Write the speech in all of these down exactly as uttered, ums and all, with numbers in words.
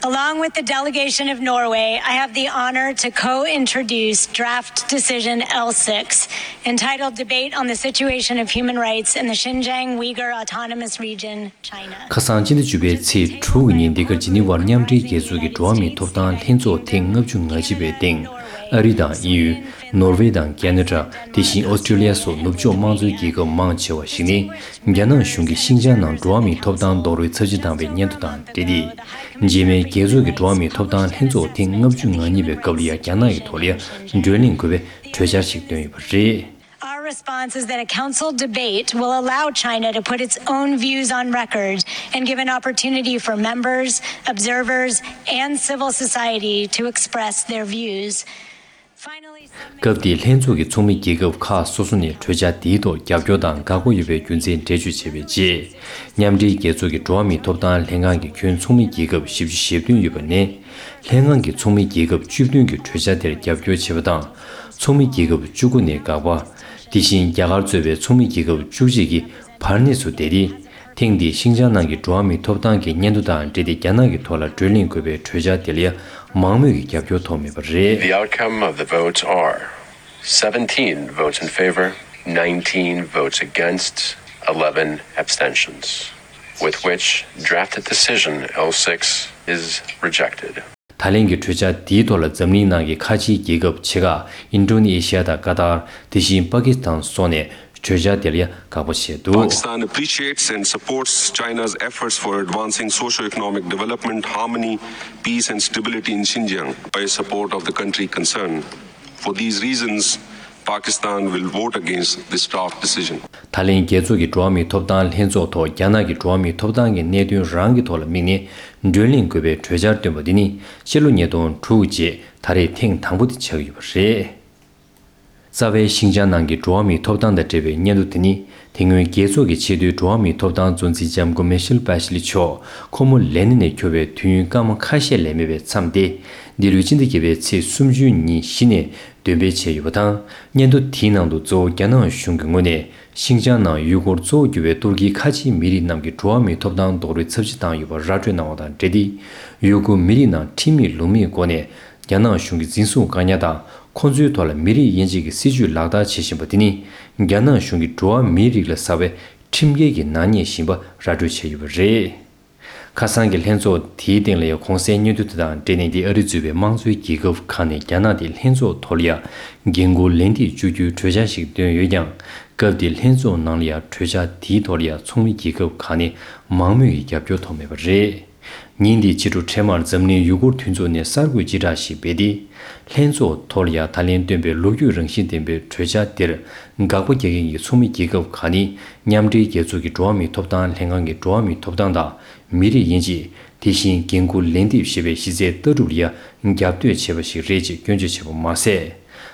Along with the delegation of Norway, I have the honor to co-introduce draft decision L six, entitled Debate on the Situation of Human Rights in the Xinjiang Uyghur Autonomous Region, China. ཁ་སང་སྤྱི་ཟླ་བཅུ་པའི་ཚེས་དྲུག་གི་ཉིན་འདི་གར་ཇི་ནི་ཝར་མཉམ་འབྲེལ་རྒྱལ་ཚོགས་ཀྱི་འགྲོ་བ་མིའི་ཐོབ་ཐང་ལྷན་ཚོགས་ཐེངས་ལྔ་བཅུ་ང་གཅིག་པའི་སྟེང་ཨ་རི་དང་དབྱིན་ཡུལ། ནོར་ཝེ་དང་ཁེ་ན་ཌ། དེ་བཞིན་ཨོ་སི་ཀྲི་ལི་ཡ་སོགས་ནུབ་ཕྱོགས་དམངས་གཙོའི་རྒྱལ་ཁབ་མང་ཆེ་བ་ཞིག་ནི། རྒྱ་ནག་གཞུང་གིས་ཤིང་ཅང་ནང་འགྲོ་བ་མིའི་ཐོབ་ཐང་རྡོག་རོལ་ཚབས་ཆེ་བཏང་བའི་སྙན་ཐོ་དང་འབྲེལ་ཏེ། རྗེས་མའི་རྒྱལ་ཚོགས་ཀྱི་འགྲོ་བ་མིའི་ཐོབ་ཐང་ལྷན་ཚོགས་ཐེངས་ལྔ་བཅུ་ང་གཉིས་པའི་སྐབས་ལ་ཡང་རྒྱ་ནག་གི་ཐོག་ལ་ཡང་བགྲོ་གླེང་དགོས་པའི་གྲོས་འཆར་ཞིག་བཏོན་ཡོད་པ་རེད། Our response is that a council debate will allow China to put its own views on record and give an opportunity for members, observers, and civil society to express their views. Finally, some members སྐབས་དེའི་ལྷན་ཚོགས་ཀྱི་ཚོགས་མི་རྒྱལ་ཁབ་ཁག་སོ་སོ་ནས་གྲོས་འཆར་དེའི་ཐོག་རྒྱབ་སྐྱོར་དང་དགའ་པོ་ཡོད་པའི་རྒྱུ་མཚན་འགྲེལ་བརྗོད་བྱས་པའི་རྗེས། མཉམ་འབྲེལ་རྒྱལ་ཚོགས་ཀྱི་འགྲོ་བ་མིའི་ཐོབ་ཐང་ལྷན་ཁང་གི་ཁྱོན་ཚོགས་མི་རྒྱལ་ཁབ་བཞི་བཅུ་ཞེ་བདུན་ཡོད་པ་ནས། ལྷན་ཁང་གི་ཚོགས་མི་རྒྱལ་ཁབ་བཅུ་བདུན་གྱིས་གྲོས་འཆར་དེར་རྒྱབ་སྐྱོར་བྱས་པ་དང་། ཚོགས་མི་རྒྱལ་ཁབ་བཅུ་དགུ་ནས་དགག་པ། དེ་བཞིན་རྒྱ་གར་གཙོས་པའི་ཚོགས་མི་རྒྱལ་ཁབ་བཅུ་གཅིག་གིས་བར་གནས་སུ་བསྡད་དེ། ཐེངས་འདིའི་ཤིང་ཅང་ནང་གི་འགྲོ་བ་མིའི་ཐོབ་ཐང་གི་སྙན་ཐོ་དང་འབྲེལ་ཏེ་རྒྱ་ནག་གི་ཐོག་ལ་བགྲོ་གླེང་དགོས་པའི་གྲོས་འཆར་དེ་ལ་ཡང་མང་མོས་ཀྱི་རྒྱབ་སྐྱོར་ཐོབ་མེད་པ་རེད། The outcome of the votes are seventeen votes in favor, nineteen votes against, eleven abstentions, with which draft decision L six is rejected. ད་ལན་གྱི་གྲོས་འཆར་འདིའི་ཐོག་ལ་འཛམ་གླིང་ནང་གི་ཁ་ཆེའི་རྒྱལ་ཁབ་ཆེ་ཁག་ཨིན་ཌོ་ནེ་ཤི་ཡ་དང་ཀ་ཏར། དེ་བཞིན་པ་ཀི་སི་ཐན་སོགས་ནས་གྲོས་འཆར་དེ་ལ་ཡང་དགག་པ་བྱས་འདུག Pakistan appreciates and supports China's efforts for advancing socio-economic development, harmony, peace and stability in Xinjiang by support of the country concerned. For these reasons, Pakistan will vote against this draft decision. ད་ལན་རྒྱལ་ཚོགས་ཀྱི་འགྲོ་བ་མིའི་ཐོབ་ཐང་ལྷན་ཚོགས་ཐོག་རྒྱ་ནག་གི་འགྲོ་བ་མིའི་ཐོབ་ཐང་གི་གནད་དོན་རང་གི་ཐོག་ལ་དམིགས་ནས་བགྲོ་གླེང་དགོས་པའི་གྲོས་འཆར་བཏོན་པ་འདི་ནི་ཕྱི་ལོ་ཉིས་སྟོང་དྲུག་རྗེས་ད་རེས་ཐེངས་དང་པོ་དེ་ཆགས་ཡོད་པ་རེད། རྩ་བའི་ཤིང་ཅང་ནང་གི་འགྲོ་བ་མིའི་ཐོབ་ཐང་དང་འབྲེལ་བའི་སྙན་ཐོ་དེ་ནི་དེ་སྔོན་རྒྱལ་ཚོགས་ཀྱི་ཆེས་མཐོའི་འགྲོ་བ་མིའི་ཐོབ་ཐང་གཙོ་འཛིན་ལྕམ་སྐུ་མེ་ཤེལ་པེ་ཤི་ལི་མཆོག་ཁོ་མོ་ལས་གནས་ནས་འཁྱོར་བའི་དུས་ཡུན་སྐར་མ་ཁ་ཤས་ལས་མེད་པའི་མཚམས་ཏེ། འདི་ལོའི་སྤྱི་ཟླ་བརྒྱད་པའི་ཚེས་སུམ་ཅུ་ཉིན་གཞི་ནས་འདོན་སྤེལ་བྱས་ཡོད་པ་དང་། སྙན་ཐོ་དེའི་ནང་དུ་གཙོ་བོ་རྒྱ་ནག་གཞུང་གི་ངོས་ནས་ཤིང་ཅང་ནང་ཡུ་གུར་གཙོ་བོ་གྱུར་བའི་ཏུར་ཀིའི་ཁ་ཆེའི་མི་རིགས་རྣམས་ཀྱི་འགྲོ་བ་མིའི་ཐོབ་ཐང་རྡོག་རོལ་ཚབས་ཆེ་བཏང་ཡོད་པར་ར་སྤྲོད་གནང་བ་དང་འབྲེལ་ཏེ། ཡུ་གུར་མི་རིགས་ནང་ཁྲིམས་མེད་ལུགས་མེད་སྒོ་ནས་རྒྱ་ནག་གཞུང་གི་འཛིན་བཟུང་བཀག་ཉར་དང་། ཁོ་ཚོའི་ཐོག་ལ་མི་རིགས་དབྱེ་འབྱེད་ཀྱི་སྲིད་བྱུས་ལག་བསྟར་བྱེད་བཞིན་པ་དེ་ནི། རྒྱ་ནག་གཞུང་གིས་འགྲོ་བ་མིའི་རིགས་ལ་བསགས་པའི་ཁྲིམས་འགལ་གྱི་ནག་ཉེས་ཡིན་པ་ར་སྤྲོད་བྱས་ཡོད་པ་རེད། ཁ་སང་གི་ལྷན་ཚོགས་དེའི་སྟེང་ལ་ཡང་གོང་གསལ་སྙན་ཐོ་དེ་དང་འབྲེལ་ནས། འདི་ཨ་རི་གཙོས་པའི་དམངས་གཙོའི་རྒྱལ་ཁབ་ཁག་ནས་རྒྱ་ནག་དེ་ལྷན་ཚོགས་ཐོག་ལ་ཡང་འགན་འཁུར་ལན་འདེབས་བཅུག་རྒྱུའི་གྲོས་འཆར་ཞིག་བཏོན་ཡོད་ཀྱང་། སྐབས་དེའི་ལྷན་ཚོགས་ནང་ལ་ཡང་གྲོས་འཆར་དེའི་ཐོག་ལ་ཡང་ཚོགས་མི་རྒྱལ་ཁབ་ཁག་ནས་མང་མོས་ཀྱི་རྒྱབ་སྐྱོར་ཐོབ་མེད་པ་རེད། ཉིན་དེའི་ཕྱི་དྲོ་འཕྲལ་མར་འཛམ་གླིང་ཡུ་གུར་མཐུན་ཚོགས་ནས་གསར་འགོད་སྤྱི་བསྒྲགས་ཤིག་སྤེལ་ཏེ། ལྷན་ཚོགས་ཐོག་ལ་ཡང་ད་ལན་བཏོན་པའི་ལོ་རྒྱུས་རང་བཞིན་ལྡན་པའི་གྲོས་འཆར་དེར་དགག་པ་རྒྱག་མཁན་གྱི་ཚོགས་མི་རྒྱལ་ཁབ་ཁག་ནི། མཉམ་འབྲེལ་རྒྱལ་ཚོགས་ཀྱི་འགྲོ་བ་མིའི་ཐོབ་ཐང་ལྷན་ཁང་གི་འགྲོ་བ་མིའི་ཐོབ་ཐང་དང་། མི་རིགས་དབྱེ་འབྱེད། དེ་བཞིན་འགན་འཁུར་ལན་འདེབས་ཞེས་པའི་གཞི་རྩའི་ལྟ་གྲུབ་ལ་ཡང་རྒྱབ་གཏོད་བྱས་པ་ཞིག་རེད་ཅེས་སྐྱོན་བརྗོད་བྱས་པ་མ་ཟད།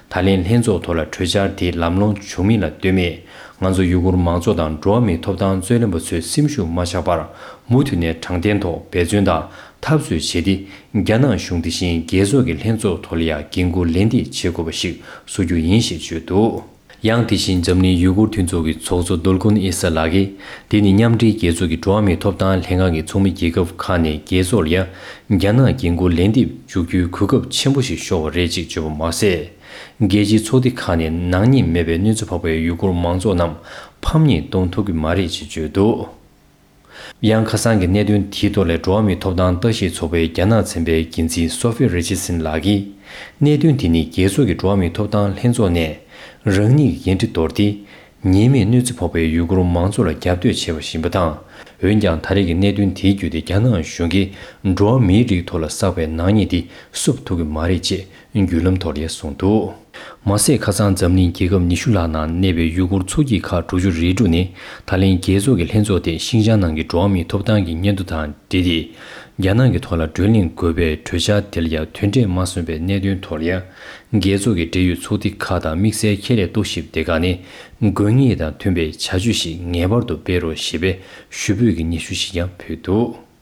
ད་ལན་ལྷན་ཚོགས་ཐོག་ལ་གྲོས་འཆར་དེ་ལམ་ལྷོང་བྱུང་མིན་ལ་ལྟོས་མེད། ང་ཚོ་ཡུ་གུར་མང་ཚོགས་དང་འགྲོ་བ་མིའི་ཐོབ་ཐང་རྩོད་ལེན་པ་ཚོས་སེམས་ཤུགས་མ་ཆག་པར། མུ་མཐུད་ནས་དྲང་བདེན་ཐོག་འབད་བརྩོན་དང་འཐབ་རྩོད་བྱས་ཏེ། རྒྱ་ནག་གཞུང་དེ་བཞིན་རྒྱལ་ཚོགས་ཀྱི་ལྷན་ཚོགས་ཐོག་ལ་ཡང་འགན་འཁུར་ལན་འདེབས་བྱེད་དགོས་པ་ཞིག་བཟོ་རྒྱུ་ཡིན་ཞེས་བརྗོད་འདུག་ཡང་དེ་བཞིན་འཛམ་གླིང་ཡུ་གུར་མཐུན་ཚོགས་ཀྱི་ཚོགས་གཙོ་དོལ་ཀུན་ཨེ་ས་ལགས་ཀྱིས། དེ་ནི་མཉམ་འབྲེལ་རྒྱལ་ཚོགས་ཀྱི་འགྲོ་བ་མིའི་ཐོབ་ཐང་ལྷན་ཁང་གི་ཚོགས་མི་རྒྱལ་ཁབ་ཁག་ནས་རྒྱལ་ཚོགས་ལ་ཡང་རྒྱ་ནག་འགན་འཁུར་ལན་འདེབས་འཇུག་རྒྱུའི་གོ་སྐབས་ཆེན་པོ་ཞིག་ཤོར་བ་རེད་ཅེས་བརྗོད་པ་མ་ཟད། རྒྱལ་སྤྱིའི་ཚོགས་སྡེ་ཁག་ནས་ནག་ཉེས་མེད་པའི་གནོད་འཚེ་ཕོག་པའི་ཡུ་གུར་མང་ཚོགས་རྣམས་ཕམ་ཉེས་གཏོང་ཐུབ་ཀྱི་མ་རེད་ཅེས་བརྗོད་འདུག་ཡང་ཁ་སང་གི་གནད་དོན་དེའི་ཐོག་ལ་འགྲོ་བ་མིའི་ཐོབ་ཐང་ལྟ་ཞིབ་ཚོགས་པའི་རྒྱ་ནག་ཚན་པའི་འགན་འཛིན་སོ་ཧྥི་རི་ཆར་སན་ལགས་ཀྱིས། གནད་དོན་དེ་ནི་རྒྱལ་ཚོགས་ཀྱི་འགྲོ་བ་མིའི་ཐོབ་ཐང་ལྷན་ཚོགས་ནས་རང་ཉིད་ཀྱི་འགན་འཁྲི་དོར་ཏེ། ཉེས་མེད་གནོད་འཚེ་ཕོག་པའི་ཡུ་གུར་མང་ཚོགས་ལ་རྒྱབ་གཏོད་བྱས་པ་ཞིག་ཡིན་པ་དང་། འོན་ཀྱང་ད་རེས་ཀྱི་གནད་དོན་དེའི་བརྒྱུད་དེ་རྒྱ་ནག་གཞུང་གིས་འགྲོ་བ་མིའི་རིགས་ཐོག་ལ་བསགས་པའི་ནག་ཉེས་དེ་བསུབ་ཐུབ་ཀྱི་མ་རེད་ཅེས་བརྒྱུད་ལམ་ཐོག་ལ་གསུངས་འདུག་མ་ཟད། ཁ་སང་འཛམ་གླིང་རྒྱལ་ཁབ་ཉི་ཤུ་ལྷག་ནང་གནས་པའི་ཡུ་གུར་ཚོགས་སྐྱིད་ཁག་དྲུག་ཅུ་རེ་དྲུག་ནས་ད་ལན་རྒྱལ་ཚོགས་ཀྱི་ལྷན་ཚོགས་དེ་ཤིང་ཅང་ནང་གི་འགྲོ་བ་མིའི་ཐོབ་ཐང་གི་སྙན་ཐོ་དང་འབྲེལ་ཏེ། རྒྱ་ནག་གི་ཐོག་ལ་བགྲོ་གླེང་དགོས་པའི་གྲོས་འཆར་དེ་ལ་ཡང་དོན་འབྲས་མ་སོན་པའི་གནད་དོན་ཐོག་ལ་ཡང་། རྒྱལ་ཚོགས་ཀྱི་འབྲེལ་ཡོད་ཚོགས་སྡེ་ཁག་དང་དམིགས་བསལ་ཁྱད་ལས་རྟོག་ཞིབ་སྡེ་ཁག་ནས་དགོས་ངེས་དང་མཐུན་པའི་བྱ་སྤྱོད་ཞིག་ངེས་པར་དུ་སྤེལ་རོགས་ཞེས་པའི་ཞུ་འབོད་ཀྱི་སྙན་ཞུ་ཞིག་ཀྱང་ཕུལ་འདུག